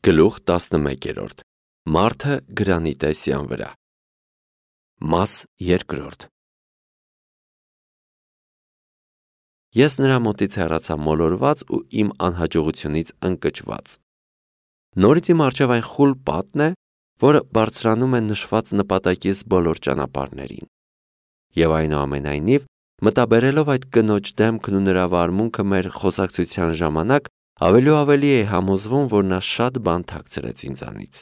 Գլուխ 11. Մարդը գրանիտեսյան վրա։ Մաս 2. Ես նրա մոտից հեռացա մոլորված ու իմ անհաջողությունից ընկճված։ Նորից իմ առջև այն խուլ պատն է, որը բարձրանում է նշված նպատակից բոլոր ճանապարհներին։ Եվ այնուամենայնիվ, մտաբերելով այդ կնոջ դեմքն ու նրա վարմունքը մեր խոսակցության ժամանակ, ավելի ու ավելի էի համոզվում, որ նա շատ բան թաքցրեց ինձանից։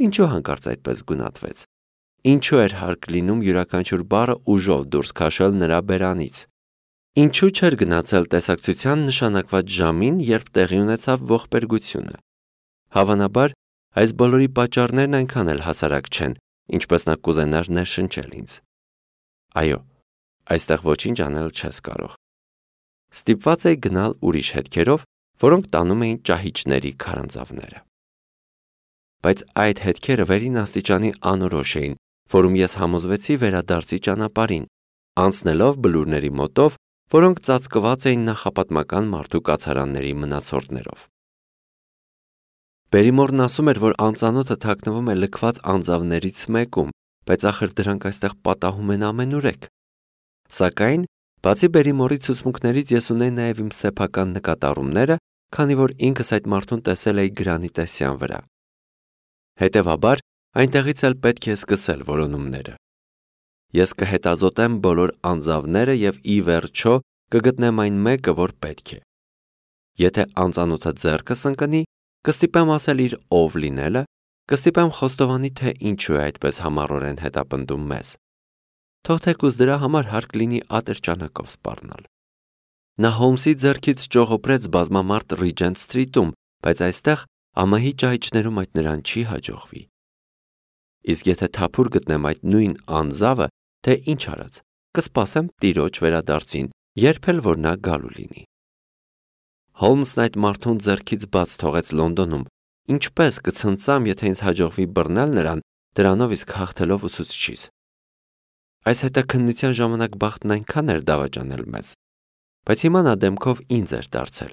Ինչու հանկարծ այդպես գունատվեց։ Ինչու էր հարկ լինում յուրաքանչյուր բառը ուժով դուրս քաշել նրա բերանից։ Ինչու չէր գնացել տեսակցության նշանակված ժամին, երբ տեղի ունեցավ ողբերգությունը։ Հավանաբար, այս բոլորի պատճառներն այնքան էլ հասարակ չեն, ինչպես նա կուզենար ներշնչել ինձ։ Այո, այստեղ ոչինչ անել չես կարող։ Ստիպված էի գնալ ուրիշ հետքերով, որոնք տանում էին ճահիճների քարանձավները։ Բայց այդ հետքերը վերին աստիճանի անորոշ էին, որում ես համոզվեցի վերադարձի ճանապարհին, անցնելով բլուրների մոտով, որոնք ծածկված էին նախապատմական մարդու կացարանների մնացորդներով։ Բերիմորն ասում էր, որ անծանոթը թաքնվում է լքված անձավներից մեկում, բայց ախր դրանք այստեղ պատահում են ամենուրեք։ Սակայն, բացի Բերիմորի ցուցմունքներից ես ունեի նաև իմ սեփական նկատառումները, քանի որ ինքս այդ մարդուն տեսել էի գրանիտեսյան վրա։ Հետևաբար, այնտեղից էլ պետք է սկսել որոնումները։ Ես կհետազոտեմ բոլոր անձավները և ի վերջո կգտնեմ այն մեկը, որ պետք է։ Եթե անծանոթը ձեռքս ընկնի, կստիպեմ ասել իր ով լինելը, կստիպեմ խոստովանի, թե ինչու է այդպես համառորեն հետապնդում մեզ։ Թող թեկուզ դրա համար հարկ լինի ատրճանակով սպառնալ։ Նա Հոլմսի ձեռքից ճողոպրեց բազմամարդ Ռիջենտ Սթրիթում, բայց այստեղ ամահի ճահիճներում այդ նրան չի հաջողվի։ Իսկ եթե թափուր գտնեմ այդ նույն անձավը, թե ինչ արած, կսպասեմ տիրոջ վերադարձին, երբ էլ որ նա գալու լինի։ Հոլմսն այդ մարդուն ձեռքից բաց թողեց Լոնդոնում, ինչպես կցնծամ, եթե ինձ հաջողվի բռնել նրան, դրանով իսկ հաղթելով ուսուցչիս։ Այս հետաքննության ժամանակ բախտն այնքան էր դավաճանել մեզ, բայց հիմա նա դեմքով ինձ էր դարձել։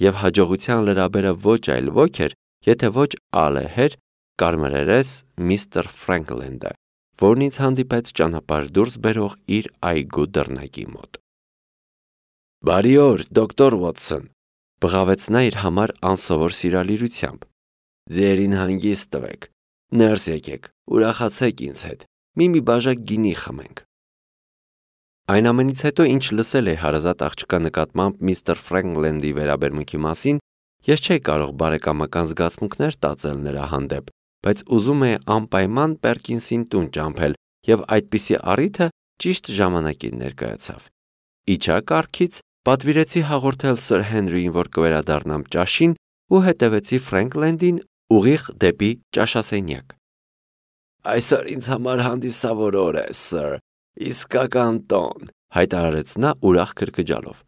Եվ հաջողության լրաբերը ոչ այլ ոք էր, եթե ոչ ալեհեր, կարմրերես միստր Ֆրենքլենդը, որն ինձ հանդիպեց ճանապարհ դուրս բերող իր այգու դռնակի մոտ։ Բարի օր, դոկտոր Ուոտսոն, բղավեց նա իր համար անսովոր սիրալիրությամբ։ Ձերին հանգիստ տվեք, ներս եկեք, ուրախացեք ինձ հետ, մի բաժակ գինի խմենք։ Այն ամենից հետո, ինչ լսել էի հարազատ աղջկա նկատմամբ միստր Ֆրենքլենդի վերաբերմունքի մասին, ես չէի կարող բարեկամական զգացմունքներ տածել նրա հանդեպ, բայց ուզում էի անպայման Պերկինսին տուն ճամփել, եւ այդպիսի առիթը ճիշտ ժամանակին ներկայացավ։ Իջա կառքից, պատվիրեցի հաղորդել Սըր Հենրիին, որ կվերադառնամ ճաշին, ու հետևեցի Ֆրենքլենդին ուղիղ դեպի ճաշասենյակ։ Այսօր ինձ համար հանդիսավոր օր է, սըր, իսկական տոն, հայտարարեց նա ուրախ քրքջալով։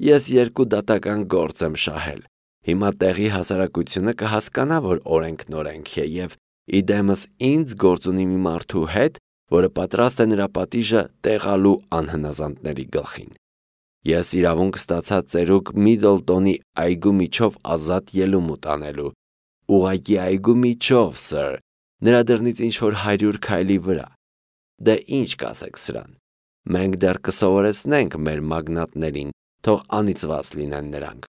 Ես 2 դատական գործ եմ շահել։ Հիմա տեղի հասարակությունը կհասկանա, որ օրենք է եւ իդեմս ինձ գործ ունի մի մարդու հետ, որը պատրաստ է նրա պատիժը տեղալու անհնազանդների գլխին։ Ես իրավունք ստացա ծերուկ Միդլտոնի այգու միջով ազատ ելումուտ անելու։ Ուղղակի այգու միջով, սըր, նրա դռնից ինչ-որ 100 քայլի վրա։ Դե ինչ կասեք սրան։ Մենք դեռ կսովորեցնենք մեր մագնատներին, թող անիծված լինեն նրանք։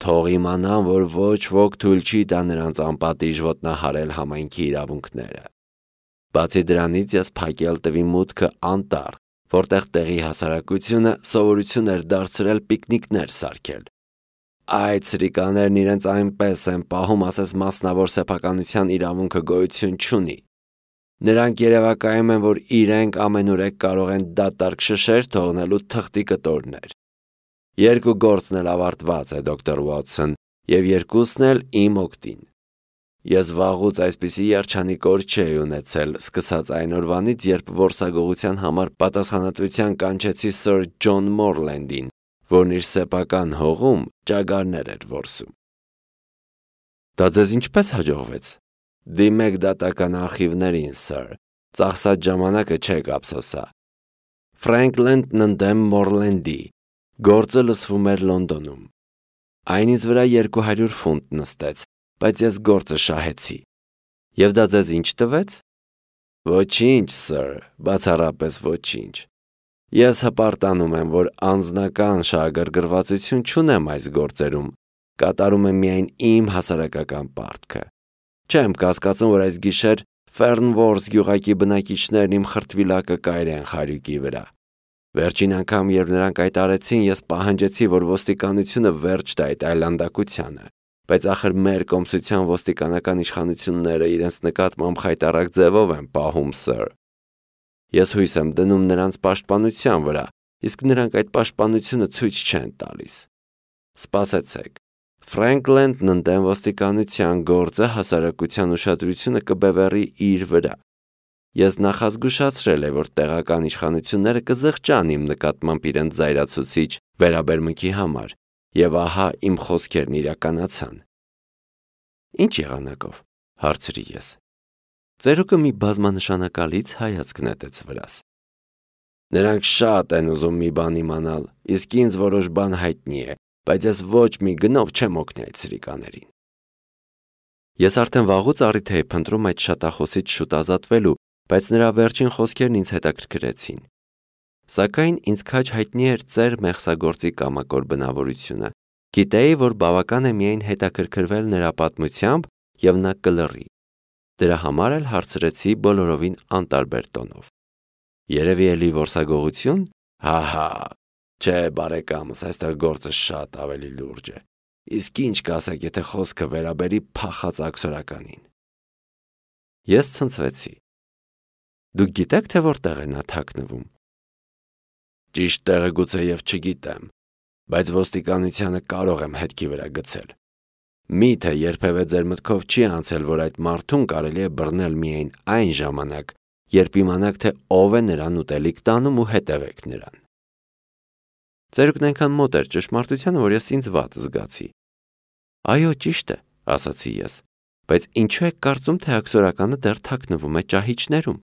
Թող իմանան, որ ոչ ոք թույլ չի տա նրանց անպատիժ ոտնահարել համայնքի իրավունքները։ Բացի դրանից ես փակել տվի մուտքը անտառ, որտեղ տեղի հասարակությունը սովորություն էր դարձրել պիկնիկներ սարքել։ Այդ սրիկաներն իրենց այնպես են պահում, ասես մասնավոր սեփականության իրավունքը գոյություն չունի։ Նրանք երևակայում են, որ իրենք ամենուրեք կարող են դատարկ շշեր թողնելու թղթի կտորներ։ 2 գործն էլ ավարտված է, դոկտոր Ուոտսոն, եւ 2-ն էլ իմ օգտին։ Ես վաղուց այսպիսի երջանիկ օր չէի ունեցել, սկսած այն օրվանից, երբ որսագողության համար պատասխանատվության կանչեցի Սըր Ջոն Մորլենդին, որն իր սեփական հողում ճագարներ էր որսում։ Դա ձեզ ինչպես հաջողվեց։ Դիմեք դատական արխիվներին, սըր, ծախսած ժամանակը չեք ափսոսա։ Ֆրենքլենդն ընդդեմ Մորլենդի, գործը լսվում էր Լոնդոնում։ Այն ինձ վրա 200 ֆունտ նստեց, բայց ես գործը շահեցի։ Եվ դա ձեզ ինչ տվեց։ Ոչինչ, սըր, բացառապես ոչինչ։ Ես հպարտանում եմ, որ անձնական շահագրգռվածություն չունեմ այս գործերում, կատարում եմ միայն իմ հասարակական պարտքը։ Չեմ կասկածում, որ այս գիշեր Ֆերնվորս գյուղակի բնակիչներն իմ խրտվիլակը կայրեն խարյուկի վրա։ Վերջին անգամ, երբ նրանք այդ արեցին, ես պահանջեցի, որ ոստիկանությունը վերջ տա այդ այլանդակությանը, բայց ախր մեր կոմսության ոստիկանական իշխանությունները իրենց նկատմամբ խայտառակ ձևով են պահում, սըր։ Ես հույս եմ դնում նրանց պաշտպանության վրա, իսկ նրանք այդ պաշտպանությունը ցույց չեն տալիս։ Սպասեցեք, Ֆրենքլենդն ընդդեմ ոստիկանության գործը հասարակության ուշադրությունը կբևեռի իր վրա։ Ես նախազգուշացրել եմ, որ տեղական իշխանությունները կզղջան իմ նկատմամբ իրենց զայրացուցիչ վերաբերմունքի համար, եւ ահա իմ խոսքերն իրականացան։ Ինչ եղանակով, հարցրի ես։ Ծերուկը մի բազմանշանակալից հայացք նետեց վրաս։ Նրանք շատ են ուզում մի բան իմանալ, իսկ ինձ որոշ բան հայտնի է, բայց ես ոչ մի գնով չեմ օգնի այդ սրիկաներին։ Ես արդեն վաղուց առիթ էի փնտրում այդ շատախոսից շուտ ազատվելու, բայց նրա վերջին խոսքերն ինձ հետաքրքրեցին։ Սակայն ինձ քաջ հայտնի էր ծեր մեղսագործի կամակոր բնավորությունը։ Գիտեի, որ բավական է միայն հետաքրքրվել նրա պատմությամբ եւ նա կլռի։ Դրա համար էլ հարցրեցի բոլորովին անտարբեր տոնով։ Երևի էլի որսագողություն։ Հա, չէ, բարեկամս, այստեղ գործը շատ ավելի լուրջ է։ Իսկ ինչ կասեք, եթե խոսքը վերաբերի փախած աքսորականին։ Ես ցնցվեցի։ Դուք գիտեք, թե որտեղ է նա թաքնվում։ Ճիշտ տեղը գուցե եւ չգիտեմ, բայց ոստիկանությանը կարող եմ հետքի վրա գցել։ Միթե երբևէ ձեր մտքով չի անցել, որ այդ մարդուն կարելի է բռնել միայն այն ժամանակ, երբ իմանաք, թե ով է նրան ուտելիք տանում ու հետևեք նրան։ Ծերուկն այնքան մոտ էր ճշմարտությանը, որ ես ինձ վատ զգացի։ Այո, ճիշտ է, ասացի ես, բայց ինչու եք կարծում, թե աքսորականը դեռ թաքնվում է ճահիճներում։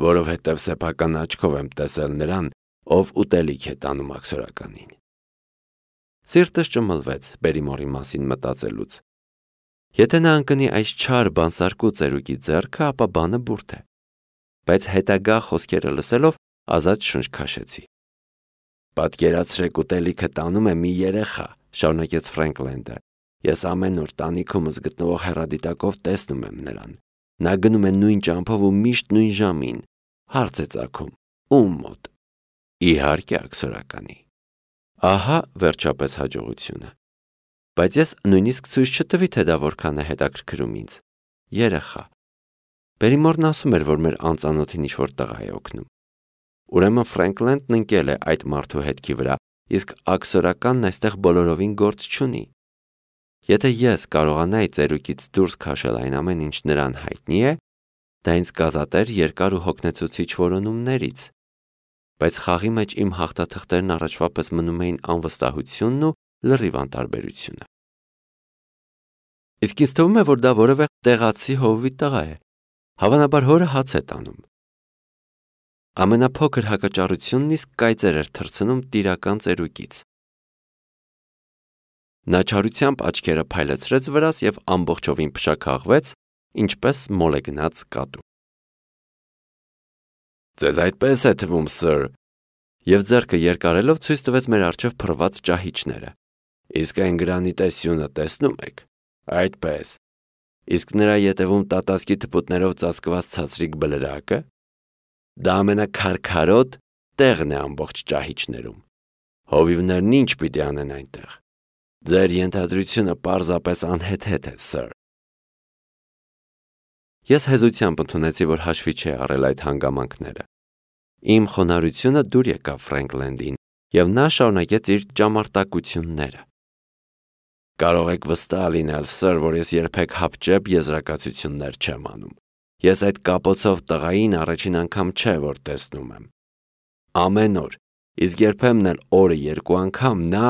Որովհետև սեփական աչքով եմ տեսել նրան, ով ուտելիք է տանում աքսորականին։ Սիրտս ճմլվեց Բերիմորի մասին մտածելուց։ Եթե նա ընկնի այս չար բանսարկու ծերուկի ձեռքը, ապա բանը բուրդ է։ Բայց հետագա խոսքերը լսելով ազատ շունչ քաշեցի։ Պատկերացրեք, ուտելիքը տանում է մի երեխա, շարունակեց Ֆրենքլենդը։ Ես ամեն օր տանիքումս գտնվող հեռադիտակով տեսնում եմ նրան։ Նա գնում է նույն ճամփով ու միշտ նույն ժամին։ Հարց է ծագում. ում մոտ։ Իհարկե աքսորականի։ Ահա վերջապես հաջողությունը։ Բայց ես նույնիսկ ցույց չտվի, թե դա որքան է հետաքրքրում ինձ։ Երեխա։ Բերիմորն ասում էր, որ մեր անծանոթին ինչ-որ տղա է օգնում։ Ուրեմն Ֆրենքլենդն ընկել է այդ մարդու հետքի վրա, իսկ աքսորականն այստեղ բոլորովին գործ չունի։ Եթե ես կարողանայի ծերուկից դուրս քաշել այն ամեն ինչ նրան հայտնի է, դա ինձ կազատեր երկար ու հոգնեցուցիչ որոնումներից։ Բայց խաղի մեջ իմ հաղթաթղթերն առաջվա պես մնում էին անվստահությունն ու լրիվ անտարբերությունը։ Իսկ ինձ թվում է, որ դա որևէ տեղացի հովվի տղա է։ Հավանաբար հորը հաց է տանում։ Ամենափոքր հակաճառությունն իսկ կայծեր էր թռցնում տիրական ծերուկից։ Նա չարությամբ աչքերը փայլեցրեց վրաս եւ ամբողջովին փշաքաղվեց, ինչպես մոլեգնած կատու։ Ձեզ այդպես է թվում, սըր, եւ ձեռքը երկարելով ցույց տվեց մեր առջև փռված ճահիճները։ Իսկ այն գրանիտե սյունը տեսնում եք։ Այդպես։ Իսկ նրա ետևում տատասկի թփուտներով ծածկված ցածրիկ բլրակը։ Դա ամենակարքարոտ տեղն է ամբողջ ճահիճներում։ Հովիվներն ինչ պիտի անեն այնտեղ։ Ձեր ենթադրությունը պարզապես անհեթեթ է, սըր։ Ես հեզությամբ ընդունեցի, որ հաշվի չի առել այդ հանգամանքները։ Իմ խոնարհությունը դուր եկավ Ֆրենքլենդին, եւ նա շարունակեց իր ճամարտակությունները։ Կարող եք վստահ լինել, սըր, որ ես երբեք հապճեպ եզրակացություններ չեմ անում։ Ես այդ կապոցով տղային առաջին անգամ չէ, որ տեսնում եմ։ Ամեն օր, իսկ երբեմն էլ օրը երկու անգամ նա…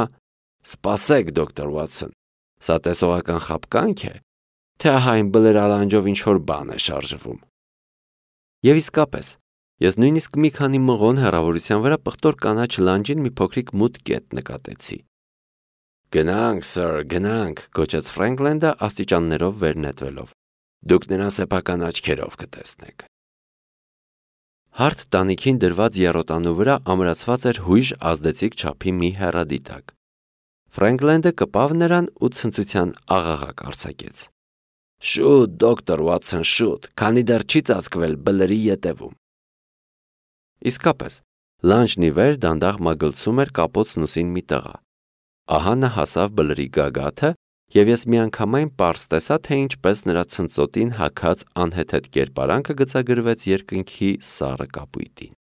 Սպասեք, դոկտոր Վաթսոն, սա տեսողական խաբկանք է, թե ահա այն բլրալանջով ինչ-որ բան է շարժվում։ Եվ իսկապես, ես նույնիսկ մի քանի մղոն հեռավորության վրա պղտոր կանաչ լանջին մի փոքրիկ մութ կետ նկատեցի։ Գնանք, սըր, գնանք, գոչեց Ֆրենքլենդը աստիճաններով վեր նետվելով։ Դուք նրան սեփական աչքերով կտեսնեք։ Հարթ տանիքին դրված եռոտանու վրա ամրացված էր հույժ ազդեցիկ չափի մի հեռադիտակ։ Ֆրենքլենդը կպավ նրան ու ցնծության աղաղակ արձակեց։ Շուտ, դոկտոր Վաթսոն, շուտ, քանի դեռ չի ծածկվել բլրի ետևում։ Իսկապես, լանջն ի վեր դանդաղ մագլցում էր կապոցն ուսին մի տղա։ Ահա նա հասավ բլրի գագաթը, և ես միանգամայն պարզ տեսա, թե ինչպես նրա ցնծոտին հագած անհեթեթ կերպարանքը գծագրվեց երկնքի սառը կապույտին։